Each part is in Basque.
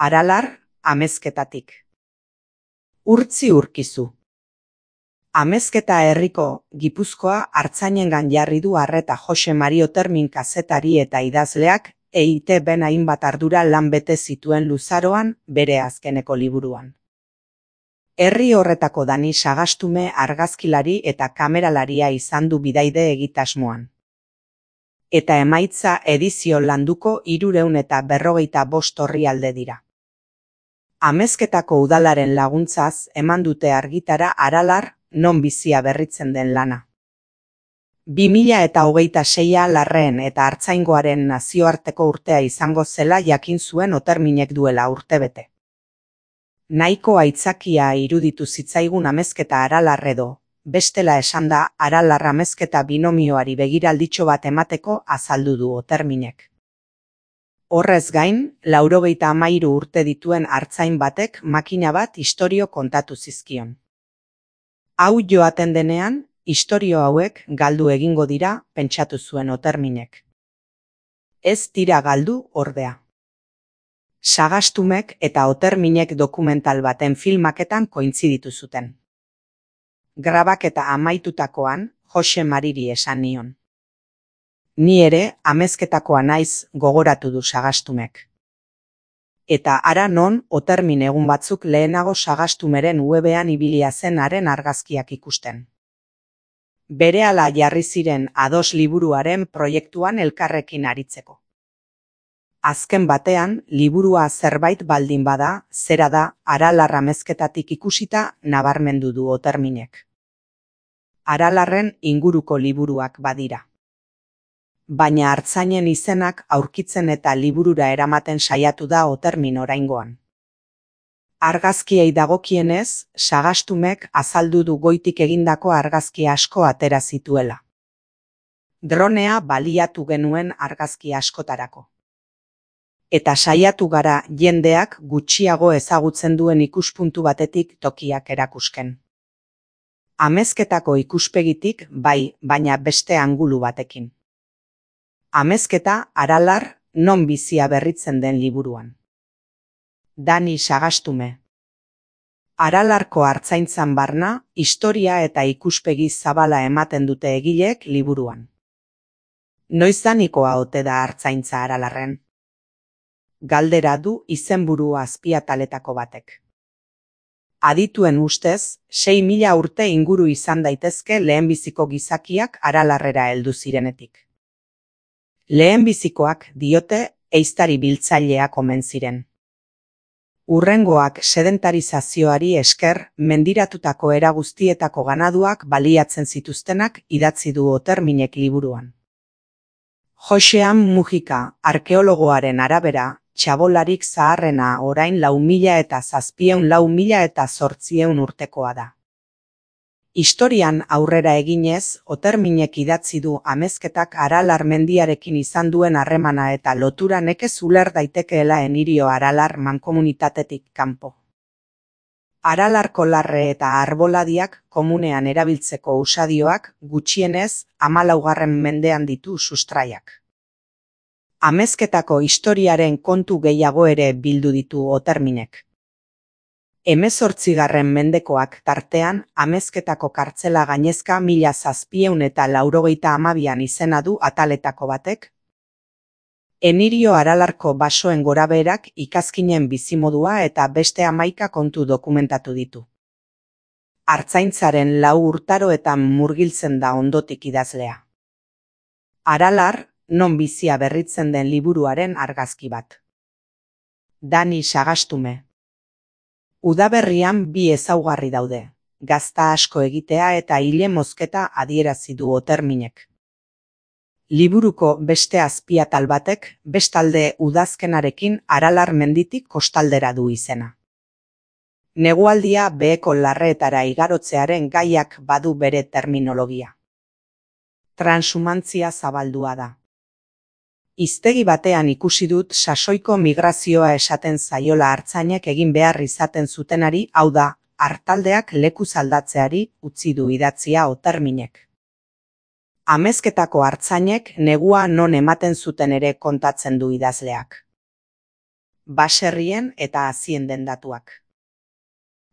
Aralar, Amezketatik. Urtzi urkizu. Amezketa herriko Gipuzkoa Artzainengan jarri du arreta Jose Mari Otermin kazetari eta idazleak EITB-n hainbat ardura lan bete zituen luzaroan bere azkeneko liburuan. Herri horretako Dani Sagastume argazkilari eta kameralaria izan du bidaide egitasmoan. Eta emaitza edizio landuko 355 orrialde dira. Amezketako udalaren laguntzaz eman dute argitara Aralar, non bizia berritzen den lana. 2026 Larreen eta Artzaingoaren nazioarteko urtea izango zela jakin zuen Oterminek duela urtebete. Nahiko aitzakia iruditu zitzaigun Amezketa Aralar edo, bestela esanda Aralar Amezketa binomioari begiralditxo bat emateko azaldu du Oterminek. Horrez gain, 93 urte dituen artzain batek makina bat istorio kontatu zizkion. Hau joaten denean, istorio hauek galdu egingo dira, pentsatu zuen Oterminek. Ez dira galdu, ordea. Sagastumek eta Oterminek dokumental baten filmaketan kointziditu zuten. Grabaketa amaitutakoan, Jose Mariri esan nion. Ni ere, Amezketakoa naiz, gogoratu du Sagastumek. Eta ara non, Otermin egun batzuk lehenago Sagastumeren webean ibilia zen haren argazkiak ikusten. Berehala jarri ziren ados liburuaren proiektuan elkarrekin aritzeko. Azken batean, liburua zerbait baldin bada, zera da, Aralar Amezketatik ikusita nabarmendu du Oterminek. Aralarren inguruko liburuak badira. Baina artzainen izenak aurkitzen eta liburura eramaten saiatu da Otermin oraingoan. Argazkiei dagokienez, Sagastumek azaldu du goitik egindako argazki asko atera zituela. Dronea baliatu genuen argazki askotarako. Eta saiatu gara jendeak gutxiago ezagutzen duen ikuspuntu batetik tokiak erakusken. Amezketako ikuspegitik bai, baina beste angulu batekin. Amezketa Aralar, non bizia berritzen den liburuan. Dani Sagastume. Aralarko artzaintzan barna, historia eta ikuspegi zabala ematen dute egileek liburuan. Noizanikoa ote da artzaintza Aralarren? Galdera du izenburu azpiataletako batek. Adituen ustez, 6.000 urte inguru izan daitezke lehenbiziko gizakiak Aralarrera heldu zirenetik. Lehenbizikoak diote ehiztari biltzaileak omen ziren. Hurrengoak sedentarizazioari esker mendiratutako era guztietako ganaduak baliatzen zituztenak idatzi du Oterminek liburuan. Josean Mujika, arkeologoaren arabera, txabolarik zaharrena orain 4.700–4.800 urtekoa da. Historian aurrera eginez, Oterminek idatzi du Amezketak Aralar mendiarekin izan duen harremana eta lotura nekez uler daitekeela Enirio Aralar mankomunitatetik kanpo. Aralarko larre eta arboladiak komunean erabiltzeko usadioak gutxienez 14. mendean ditu sustraiak. Amezketako historiaren kontu gehiago ere bildu ditu Oterminek. 18. mendekoak tartean Amezketako kartzela gainezka 1792an izena du ataletako batek. Enirio Aralarko basoen gorabeherak ikazkinen bizimodua eta beste 11 kontu dokumentatu ditu. Artzaintzaren 4 urtaroetan murgiltzen da ondotik idazlea. Aralar, non bizia berritzen den liburuaren argazki bat. Dani Sagastume. Udaberrian 2 ezaugarri daude, gazta asko egitea eta ile mozketa adierazi du Oterminek. Liburuko beste azpiatal batek, bestalde udazkenarekin Aralar menditik kostaldera du izena. Negualdia beheko larreetara igarotzearen gaiak badu bere terminologia. Transhumantzia zabaldua da. Hiztegi batean ikusi dut sasoiko migrazioa esaten zaiola artzainek egin behar izaten zutenari, hau da, artaldeak lekuz aldatzeari utzi du idatzia Oterminek. Amezketako artzainek negua non ematen zuten ere kontatzen du idazleak. baserrien eta hazien den datuak.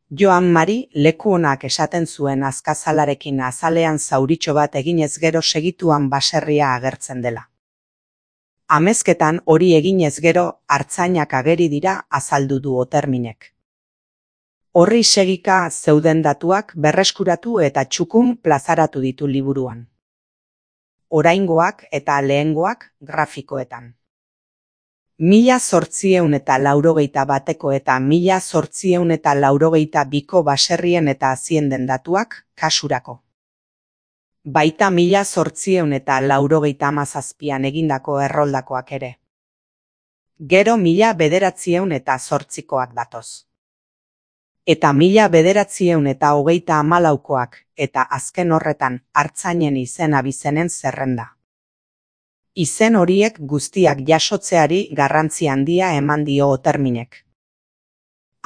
Joan Mari leku onak esaten zuen azkazalarekin azalean zauritxo bat eginez gero segituan baserria agertzen dela. Amezketan hori eginez gero artzainak ageri dira azaldu du Oterminek. Horri segika zeuden datuak berreskuratu eta txukun plazaratu ditu liburuan. Oraingoak eta lehengoak grafikoetan. 1881 eta 1882ko baserrien eta hazien den datuak kasurako. Baita 1897an egindako erroldakoak ere. Gero 1908koak datoz. Eta 1934koak eta azken horretan artzainen izen abizenen zerrenda. Izen horiek guztiak jasotzeari garrantzi handia eman dio Oterminek.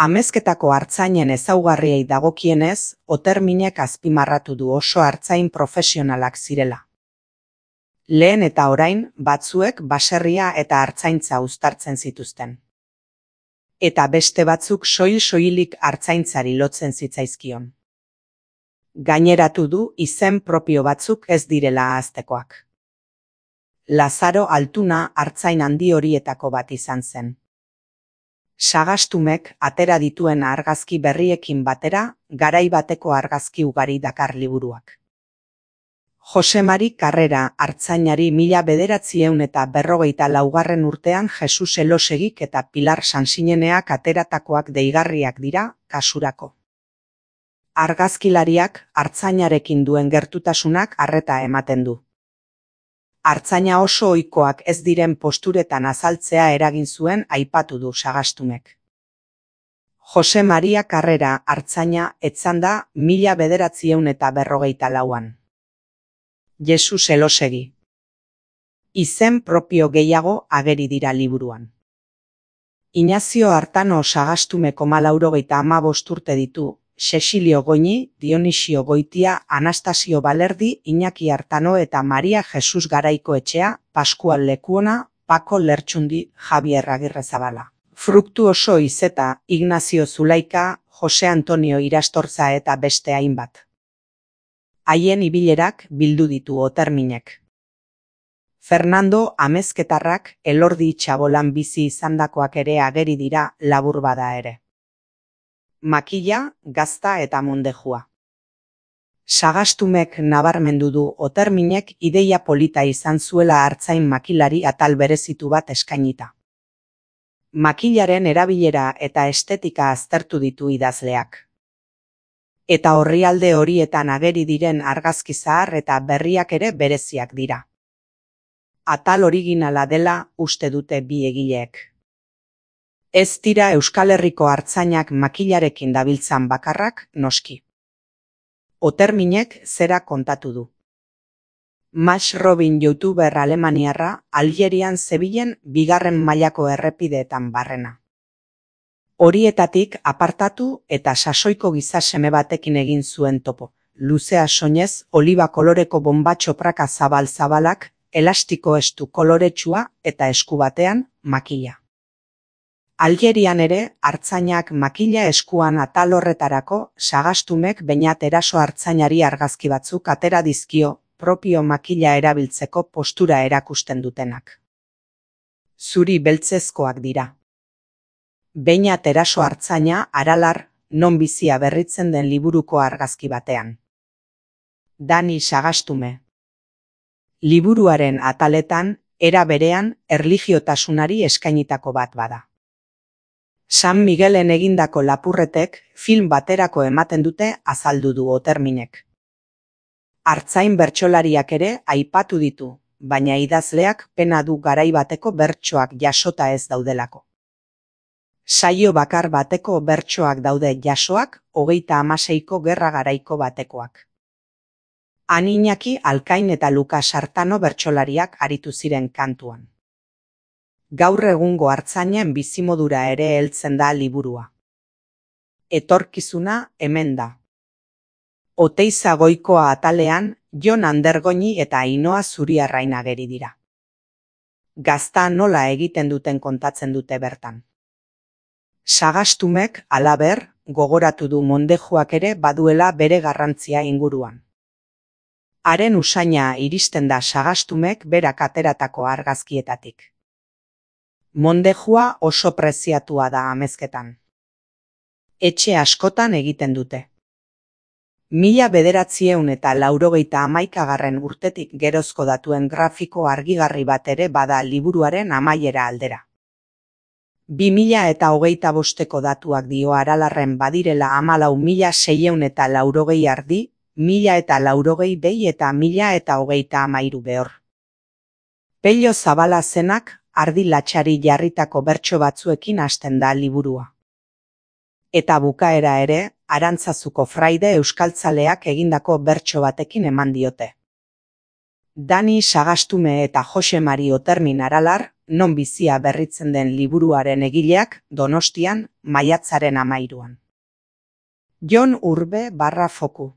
Amezketako artzainen ezaugarriei dagokienez, Oterminek azpimarratu du oso artzain profesionalak zirela. Lehen eta orain batzuek baserria eta artzaintza uztartzen zituzten. Eta beste batzuk soil-soilik artzaintzari lotzen zitzaizkion. Gaineratu du izen propio batzuk ez direla ahaztekoak. Lazaro Altuna artzain handi horietako bat izan zen. Sagastumek atera dituen argazki berriekin batera, garai bateko argazki ugari dakar liburuak. Jose Mari Karrera artzainari 1954 urtean Jesus Elosegik eta Pilar Sansineneak ateratakoak deigarriak dira kasurako. Argazkilariak artzainarekin duen gertutasunak arreta ematen du. Artzaina oso ohikoak ez diren posturetan azaltzea eragin zuen aipatu du Sagastumek. Jose Maria Karrera artzaina etzan da 1954an. Jesus Elosegi. Izen propio gehiago ageri dira liburuan. Inazio Artano Sagastumeko 95 urte ditu, Cecilio Goñi, Dionisio Goitia, Anastasio Balerdi, Iñaki Artano eta Maria Jesus Garaikoetxea, Pascual Lekuona, Paco Lertxundi, Javier Agirrezabala. Fruktuoso Izeta, Ignacio Zulaika, Jose Antonio Irastorza eta beste hainbat. Haien ibilerak bildu ditu Oterminek. Fernando Amezketarrak Elordi Txabolan bizi izandakoak ere ageri dira labur bada ere. Makila, gazta eta mondejua. Sagastumek nabarmendu du Oterminek ideia polita izan zuela artzain makilari atal berezitu bat eskainita. Makilaren erabilera eta estetika aztertu ditu idazleak. Eta orrialde horietan ageri diren argazki zahar eta berriak ere bereziak dira. Atal originala dela uste dute bi egileek. Ez dira Euskal Herriko artzainak makilarekin dabiltzan bakarrak, noski. Oterminek zera kontatu du. Max Robin youtuber alemaniarra Algerian zebilen 2. mailako errepideetan barrena. Horietatik apartatu eta sasoiko giza seme batekin egin zuen topo. Luzea soinez, oliba koloreko bombatxo praka zabal-zabalak, elastiko estu koloretsua eta esku batean makila. Algerian ere, artzainak makila eskuan atal horretarako Sagastumek Beñat eraso artzainari argazki batzuk atera dizkio propio makila erabiltzeko postura erakusten dutenak. Zuri beltzezkoak dira. Beñat eraso artzaina Aralar, non bizia berritzen den liburuko argazki batean. Dani Sagastume. Liburuaren ataletan, era berean, erlijiotasunari eskainitako bat bada. San Miguelen egindako lapurretek film baterako ematen dute azaldu du Oterminek. Artzain bertsolariak ere aipatu ditu, baina idazleak pena du garai bateko bertsoak jasota ez daudelako. Saio bakar bateko bertsoak daude jasoak 36ko gerra garaiko batekoak. Han Iñaki Alkain eta Lukas Artano bertsolariak aritu ziren kantuan. Gaur egungo artzainen bizimodura ere heltzen da liburua. Etorkizuna hemen da. Oteiza Goikoa atalean, Jon Andergoñi eta Ainoa Zuriarrain ageri dira. Gazta nola egiten duten kontatzen dute bertan. Sagastumek, halaber, gogoratu du mondejuak ere baduela bere garrantzia inguruan. Haren usaina iristen da Sagastumek berak ateratako argazkietatik. Mondejua oso preziatua da amezketan. Etxe askotan egiten dute. 1981 urtetik gerozko datuen grafiko argigarri bat ere bada liburuaren amaiera aldera. 2025ko datuak dio Aralarren badirela 14.680 ardi, 1080 behi eta 1033 behor. Pello Zabala zenak ardi latxari jarritako bertso batzuekin hasten da liburua. Eta bukaera ere, Arantzazuko fraide euskaltzaleak egindako bertso batekin eman diote. Dani Sagastume eta Jose Mari Otermin Aralar, non bizia berritzen den liburuaren egileak, Donostian, maiatzaren 13. Jon Urbe /Foku.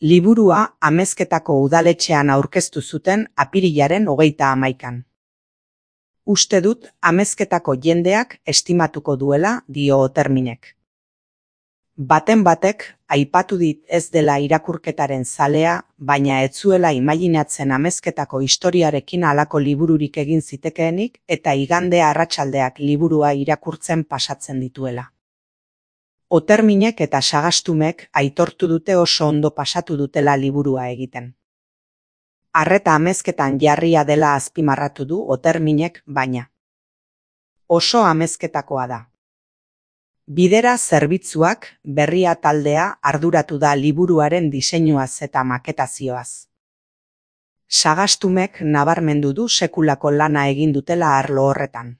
Liburua Amezketako udaletxean aurkeztu zuten apirilaren 31. Uste dut Amezketako jendeak estimatuko duela, dio Oterminek. Baten batek, aipatu dit ez dela irakurketaren zalea, baina ez zuela imaginatzen Amezketako historiarekin halako libururik egin zitekeenik eta igande arratsaldeak liburua irakurtzen pasatzen dituela. Oterminek eta Sagastumek aitortu dute oso ondo pasatu dutela liburua egiten. Arreta amezketan jarria dela azpimarratu du Oterminek, baina oso amezketakoa da. Bidera zerbitzuak, berria taldea arduratu da liburuaren diseinuaz eta maketazioaz. Sagastumek nabarmendu du sekulako lana egin dutela arlo horretan.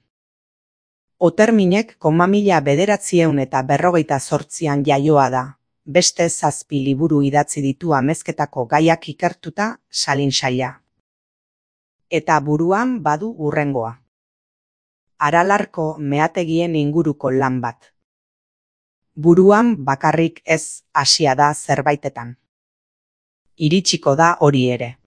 Oterminek 1948an jaioa da, beste 7 liburu idatzi ditu amezketako gaiak ikertuta, Salin saila. Eta buruan badu hurrengoa. Aralarko meategien inguruko lan bat. Buruan bakarrik ez hasia da zerbaitetan. Iritsiko da hori ere.